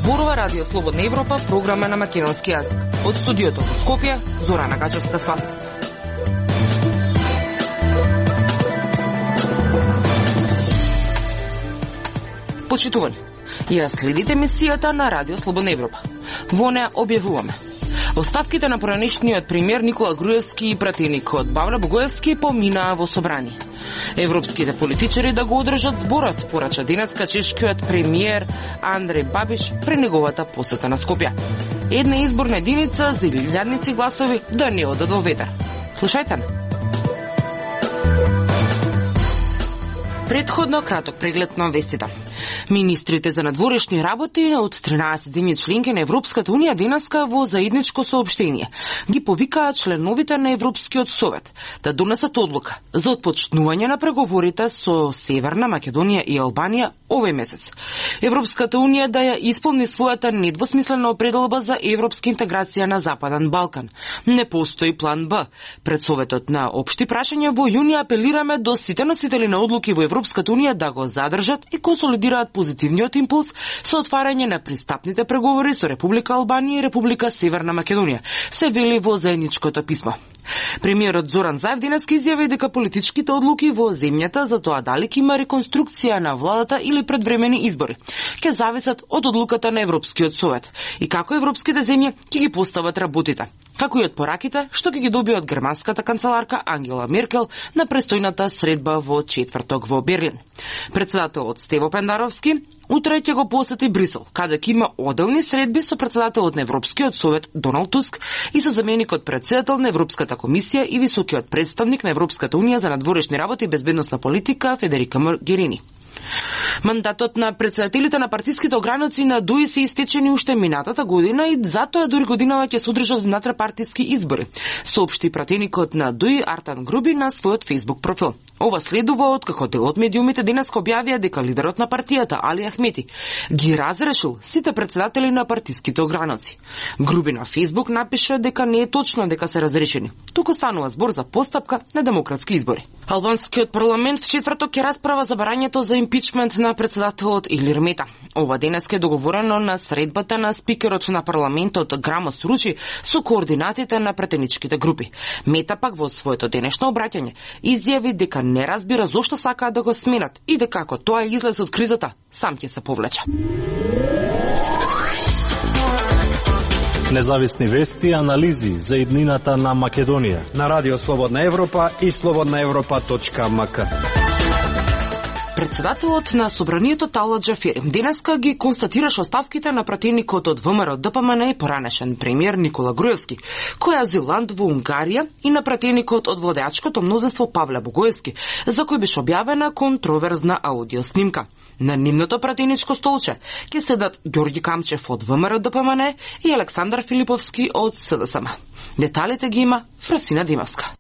Зборува Радио Слободна Европа, програма на македонски јазик. Од студиото во Скопје, Зорана Гаџевска-Спасовска. Почитувани, ја следите емисијата на Радио Слободна Европа. Во неа објавуваме оставките на поранешниот премиер Никола Груевски и пратеникот Павле Богоевски поминаа во собрание. Европските политичари да го одржат зборот, порача денеска чешкиот премиер Андреј Бабиш при неговата посета на Скопје. Една изборна единица за илјадници гласови да не одат во ветер. Слушајте ме. Предходно краток преглед на вестите. Министрите за надворешни работи од 13 земји членки на Европската унија денеска во заедничко соопштение ги повикаа членовите на Европскиот совет да донесат одлука за отпочнување на преговорите со Северна Македонија и Албанија овој месец. Европската унија да ја исполни својата недвосмислена определба за европска интеграција на Западен Балкан. Не постои план Б. Пред Советот на општи прашања во јуни апелираме до сите носители на одлуки во Европската унија да го задржат и консолидираат позитивниот импулс со отварање на пристапните преговори со Република Албанија и Република Северна Македонија, се вели во заедничкото писмо. Премиерот Зоран Заев денеска изјави дека политичките одлуки во земјата за тоа дали ќе има реконструкција на владата или предвремени избори ќе зависат од одлуката на Европскиот совет и како европските земји ќе ги постават работите, како и од пораките што ќе ги добие од германската канцеларка Ангела Меркел на престојната средба во четврток во Берлин. Председателот Стево Пендаровски утре ќе го посети Брисел, каде ќе има одделни средби со председателот на Европскиот совет Доналд Туск и со заменикот председател на Европската комисија и високиот представник на Европската унија за надворешни работи и безбедносна политика Федерика Могерини. Мандатот на председателите на партиските ограници на ДУИ се истечени уште минатата година и затоа дури годинава ќе се одржат внатре-партиски избори, соопшти пратеникот на ДУИ Артан Груби на својот Facebook профил. Ова следува од како дел од медиумите денеска објавија дека лидерот на партијата Али Ахмети ги разрешил сите председатели на партиските ограници. Груби на Facebook напиша дека не е точно дека се разрешени, туку станува збор за постапка на демократски избори. Албанскиот парламент в четврток ќе расправа за барањето за импичмент на председателот Илир Мета. Ова денеска е договорено на средбата на спикерот на парламентот Грамос Ручи со координатите на пратеничките групи. Мета пак во своето денешно обраќање изјави дека не разбира зошто сакаат да го сменат и дека ако тоа е излез од кризата, сам ќе се повлече. Независни вести и анализи за иднината на Македонија на Радио Слободна Европа и slobodnaevropa.mk. Председателот на собранието Талат Џафери денеска ги констатираше оставките на пратеникот од ВМРО ДПМН и поранешен премиер Никола Груевски, кој е азилант во Унгарија, и на пратеникот од владеачкото мнозинство Павле Богоевски, за кој беше објавена контроверзна аудиоснимка. На нивното пратеничко столче ќе седат Ѓорѓи Камчев од ВМРО ДПМН и Александар Филиповски од СДСМ. Деталите ги има Фрасина Димовска.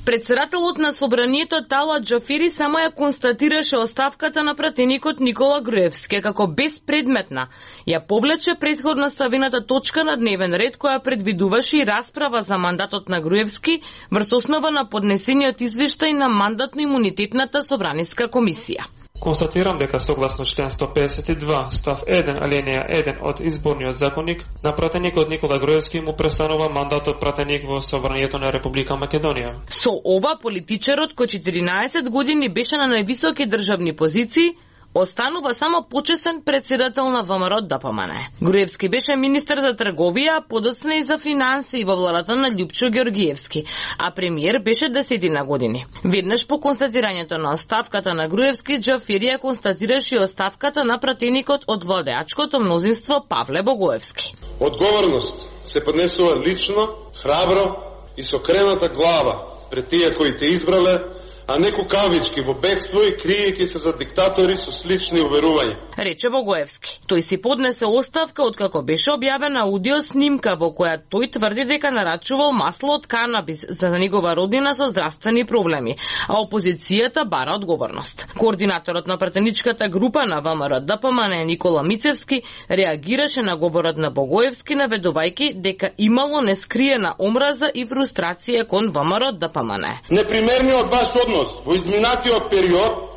Председателот на собранието Талат Џафери само ја констатираше оставката на пратеникот Никола Груевски како безпредметна. Ја повлече предходно ставената точка на дневен ред која предвидуваше и расправа за мандатот на Груевски врз основа на поднесениот извештај на мандатно-имунитетната собраниска комисија. Констатирам дека согласно член 152 став 1 алинеја 1 од изборниот законник на пратеникот Никола Груевски му престанува мандатот пратеник во собранието на Република Македонија. Со ова политичарот кој 14 години беше на највисоки државни позиции останува само почесен председател на ВМРО ДПМН. Груевски беше министер за трговија, подоцна и за финансии во владата на Љупчо Ѓорѓиевски, а премиер беше 10 години. Веднаш по констатирањето на оставката на Груевски, Џафери ја констатираше оставката на пратеникот од владеачкото мнозинство Павле Богоевски. Одговорност се поднесува лично, храбро и со крената глава пред тие кои те избрале, а не кукавички во бегство и криејќи се за диктатори со слични уверувања. Рече Богоевски. Тој си поднесе оставка откако беше објавена аудиоснимка во која тој тврди дека нарачувал масло од канабис за негова роднина со здравствени проблеми, а опозицијата бара одговорност. Координаторот на пратеничката група на ВМРО ДПМН Никола Мицевски реагираше на говорот на Богоевски наведувајќи дека имало нескриена омраза и фрустрација кон ВМРО ДПМН. Непримерниот ваш однос во изминатиот период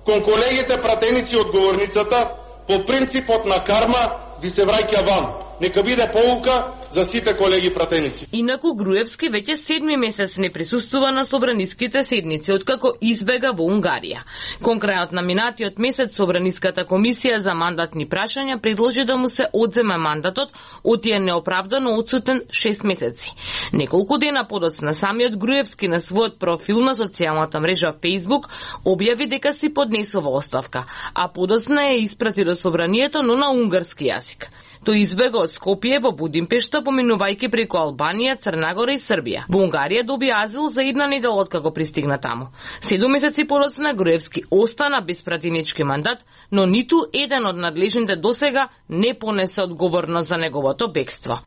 кон колегите пратеници од говорницата по принципот на карма ви се враќа ван. Нека биде поука за сите колеги пратеници. Инаку Груевски веќе 7 месец не присуствува на собраниските седници, откако избега во Унгарија. Кон крајот на минатиот месец Собраниската комисија за мандатни прашања предложи да му се одземе мандатот, оти е неоправдано отсутен 6 месеци. Неколку дена подоцна самиот Груевски на својот профил на социјалната мрежа Facebook објави дека си поднесува оставка, а подоцна ја испрати до собранието, но на унгарски јазик. Тој избега од Скопје во Будимпешта, поминувајќи преку Албанија, Црнагора и Србија. Во Унгарија доби азил за една недела откако пристигна таму. 7 месеци подоцна Груевски остана без пратенички мандат, но ниту еден од надлежните досега не понесе одговорност за неговото бегство.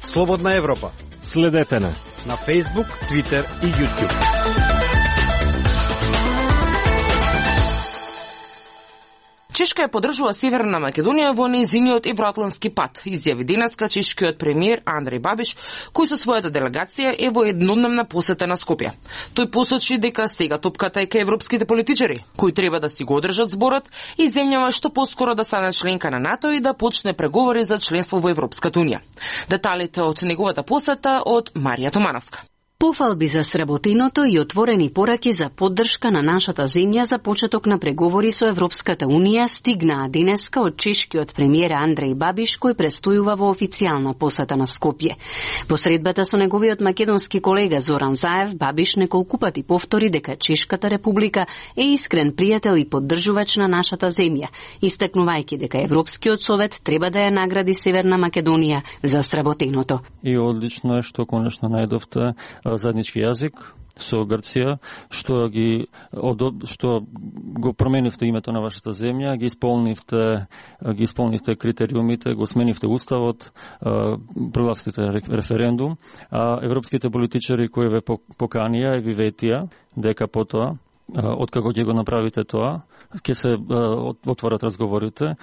Слободна Европа. Следете на Facebook, Twitter и YouTube. Чешка ја поддржува Северна Македонија во нејзиниот евроатлантски пат, изјави денеска чешкиот премиер Андреј Бабиш, кој со својата делегација е во еднодневна посета на Скопје. Тој посочи дека сега топката е кај европските политичари, кои треба да си го одржат зборот и земјава што поскоро да стане членка на НАТО и да почне преговори за членство во Европската унија. Деталите од неговата посета од Марија Томановска. Пофалби за сработеното и отворени пораки за поддршка на нашата земја за почеток на преговори со Европската унија стигнаа денеска од чешкиот премиер Андреј Бабиш, кој престојува во официјална посета на Скопје. Во средбата со неговиот македонски колега Зоран Заев, Бабиш неколку пати повтори дека Чешката република е искрен пријател и поддржувач на нашата земја, истакнувајќи дека Европскиот совет треба да ја награди Северна Македонија за сработеното. И одлично е што конечно најдовте заеднички јазик со Грција, што го променивте името на вашата земја, ги исполнивте критериумите, го сменивте уставот, прогласите референдум, а европските политичари кои ве поканија и ви ветија дека потоа откако ќе го направите тоа, ќе се отворат разговорите,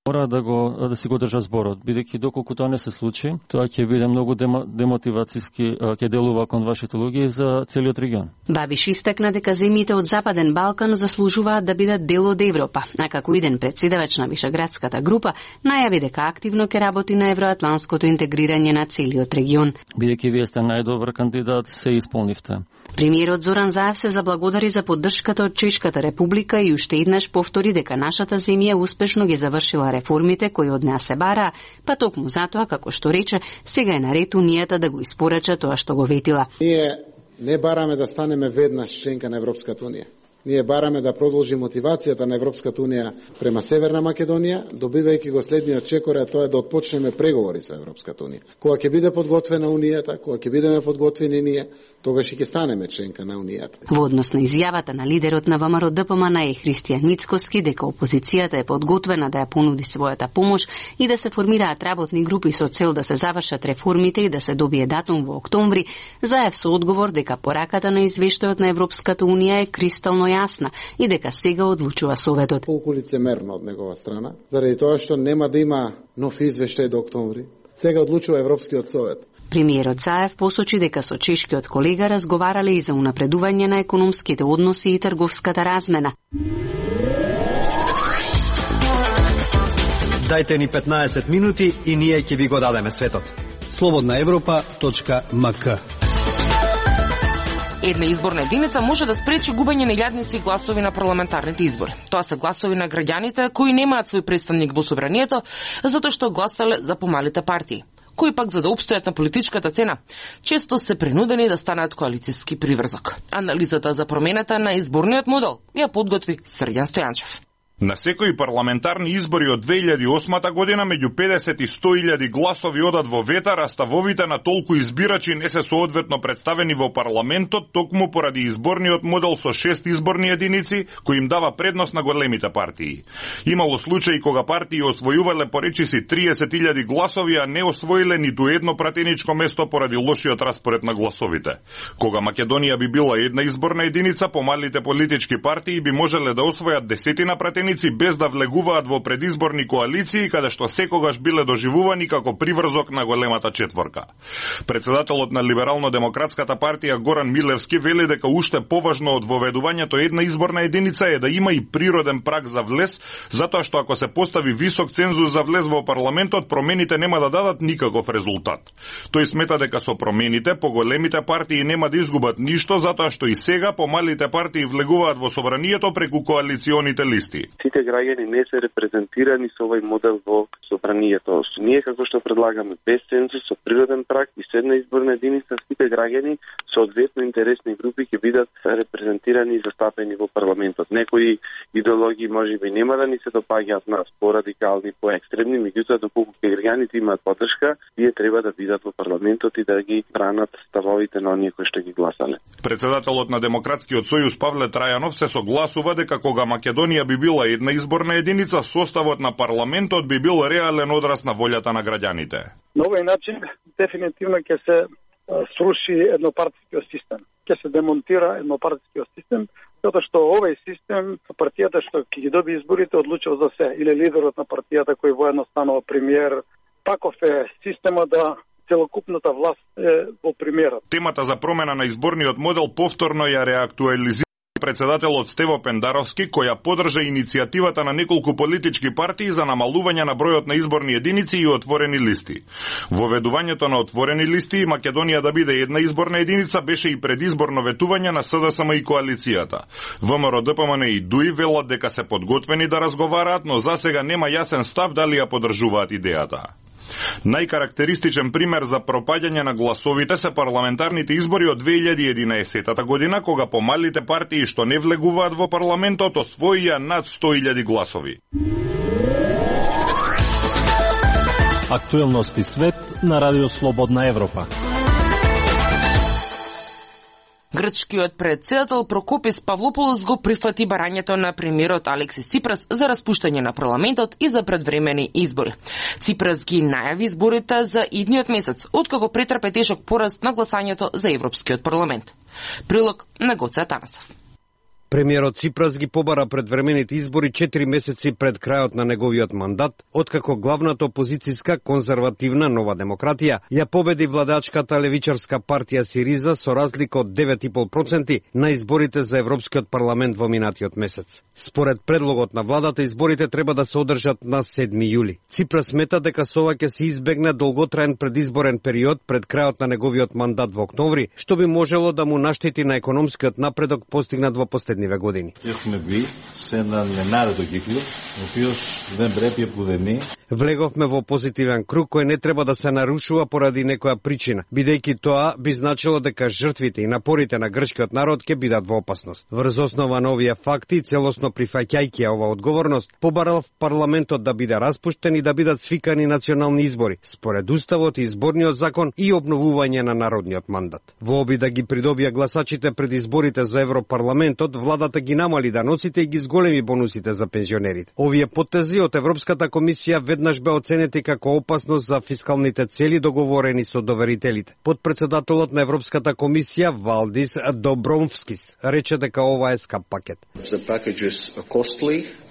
мора да си го држа зборот, бидејќи доколку тоа не се случи, тоа ќе биде многу демотивацијски, ќе делува кон вашите луѓе за целиот регион. Бабиш истакна дека земјите од Западен Балкан заслужуваат да бидат дел од Европа, а како иден претседавач на Вишеградската група, најави дека активно ќе работи на евроатлантското интегрирање на целиот регион. Бидејќи вие сте најдобар кандидат, се исполнивте. Премиерот Зоран Заев се заблагодари за поддршката од Чешката република и уште еднаш повтори дека нашата земја успешно ги завршила реформите кои од неа се бараа, па токму затоа, како што рече, сега е наред унијата да го испорача тоа што го ветила. Ние не бараме да станеме веднаш членка на Европската унија. Ние бараме да продолжи мотивацијата на Европската унија према Северна Македонија, добивајќи го следниот чекор, а тоа е да отпочнеме преговори со Европската унија. Кога ќе биде подготвена унијата, кога ќе бидеме подготвени ние, тогаш и ќе станеме членка на унијата. Во однос на изјавата на лидерот на ВМРО ДПМН Христијан Мицкоски дека опозицијата е подготвена да ја понуди својата помош и да се формираат работни групи со цел да се завршат реформите и да се добие датум во октомври, Заев со одговор дека пораката на извештајот на Европската унија е кристално јасна и дека сега одлучува Советот. Колку лицемерно од негова страна, заради тоа што нема да има нов извештај до октомври. Сега одлучува Европскиот совет. Премиерот Заев посочи дека со чешкиот колега разговарале и за унапредување на економските односи и трговската размена. Дајте ни 15 минути и ние ќе ви го дадеме светот. slobodnaevropa.mk. Една изборна единица може да спречи губење на илјадници гласови на парламентарните избори. Тоа се гласови на граѓаните кои немаат свој представник во собранието, затоа што гласале за помалите партии, кои пак за да опстојат на политичката цена, често се принудени да станат коалициски приврзок. Анализата за промената на изборниот модел ја подготви Срѓан Стојанчев. На секои парламентарни избори од 2008 година меѓу 50 и 100.000 гласови одат во ветар, а ставовите на толку избирачи не се соодветно представени во парламентот, токму поради изборниот модел со 6 изборни единици, кои им дава предност на големите партии. Имало случаи кога партии освојувале поречиси 30.000 гласови, а не освоиле ниту едно пратеничко место поради лошиот распоред на гласовите. Кога Македонија би била една изборна единица, помалите политички партии би можеле да освојат десетина пратенички соперници без да влегуваат во предизборни коалиции, каде што секогаш биле доживувани како приврзок на големата четворка. Председателот на Либерално-демократската партија Горан Милевски вели дека уште поважно од воведувањето една изборна единица е да има и природен праг за влез, затоа што ако се постави висок цензус за влез во парламентот, промените нема да дадат никаков резултат. Тој смета дека со промените поголемите партии нема да изгубат ништо, затоа што и сега помалите партии влегуваат во собранието преку коалиционите листи. Сите граѓани не се репрезентирани со овој модел во собранието. Ние како што предлагаме без цензус, со природен праг и со една изборна единица, сите граѓани соодветно интересни групи ќе бидат репрезентирани и застапени во парламентот. Некои идеологии можеби нема да ни се допаѓаат нас, порадикални, поекстремни, меѓутоа доколку граѓаните имаат поддршка, тие треба да бидат во парламентот и да ги бранат ставовите на оние кои што ги гласале. Председателот на Демократскиот сојуз Павле Трајанов се согласува дека кога Македонија би била една изборна единица, составот на парламентот би бил реален одраз на волјата на граѓаните. На овој начин дефинитивно ќе се сруши еднопартискиот систем. Ќе се демонтира еднопартискиот систем, затоа што овој систем, партијата што ќе ги доби изборите, одлучува за се, или лидерот на партијата кој воедно станува премиер. Таков е системот да целокупната власт е во премиерот. Темата за промена на изборниот модел повторно ја реактуализира председателот Стево Пендаровски, која поддржа иницијативата на неколку политички партии за намалување на бројот на изборни единици и отворени листи. Воведувањето на отворени листи и Македонија да биде една изборна единица беше и предизборно ветување на СДСМ и коалицијата. ВМРО, ДПМН и ДУИ велат дека се подготвени да разговараат, но засега нема јасен став дали ја поддржуваат идејата. Најкарактеристичен пример за пропаѓање на гласовите се парламентарните избори од 2011 година, кога помалите партии што не влегуваат во парламентот освоија над 100.000 гласови. Актуелности свет на Радио Слободна Европа. Грчкиот председател Прокопис Павлополос го прифати барањето на премиерот Алексис Ципрас за распуштање на парламентот и за предвремени избори. Ципрас ги најави изборите за идниот месец, откако претрпе тешок пораст на гласањето за Европскиот парламент. Прилог на Гоце Атанасов. Премиерот Ципрас ги побара предвремените избори 4 месеци пред крајот на неговиот мандат, откако главната опозицијска конзервативна Нова демократија ја победи владачката левичарска партија Сириза со разлика од 9,5% на изборите за Европскиот парламент во минатиот месец. Според предлогот на владата, изборите треба да се одржат на 7 јули. Ципрас смета дека со ова ќе се избегне долготраен предизборен период пред крајот на неговиот мандат во октомври, што би можело да му наштети на економскиот напредок постигнат во последниве години. Влеговме во позитивен круг кој не треба да се нарушува поради некоја причина, бидејќи тоа би значило дека жртвите и напорите на грчкиот народ ќе бидат во опасност. Врз основа на овие факти, целосно прифаќајќи ова одговорност, побарал парламентот да биде распуштен и да бидат свикани национални избори, според уставот и изборниот закон и обновување на народниот мандат. Во обид да ги придобија гласачите пред изборите за Европарламентот, владата ги намали даноците и ги зголеми бонусите за пензионерите. Овие потези од Европската комисија веднаш бе оценети како опасност за фискалните цели договорени со доверителите. Подпредседателот на Европската комисија Валдис Добромвскис рече дека ова е скап пакет.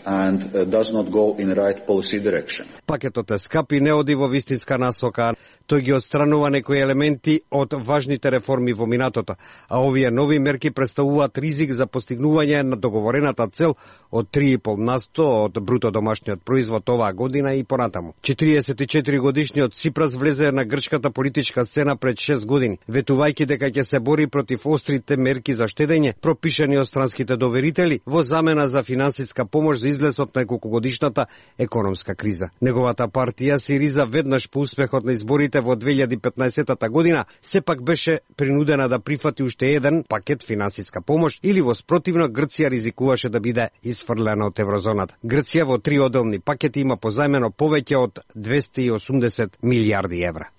And does not go in right policy direction. Пакетот е скап и не оди во вистинска насока. Тој ги отстранува некои елементи од важните реформи во минатото, а овие нови мерки представуваат ризик за постигнување на договорената цел од 3,5% од бруто домашниот производ оваа година и понатаму. 44 годишниот Ципрас влезе на грчката политичка сцена пред 6 години, ветувајќи дека ќе се бори против острите мерки за штедење пропишани од странските доверители во замена за финансиска помош за излез од неколкогодишната економска криза. Неговата партија Сириза веднаш по успехот на изборите во 2015 година сепак беше принудена да прифати уште еден пакет финансиска помош или во спротивно Грција ризикуваше да биде исфрлена од еврозоната. Грција во 3 одделни пакети има позајмено повеќе од 280 милијарди евра.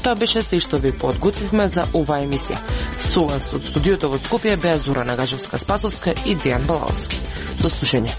Тоа беше се што ви подготвивме за оваа емисија. Со вас од студиото во Скопје беа Зора Нагажевска-Спасовска и Дејан Балаовски. До слушање.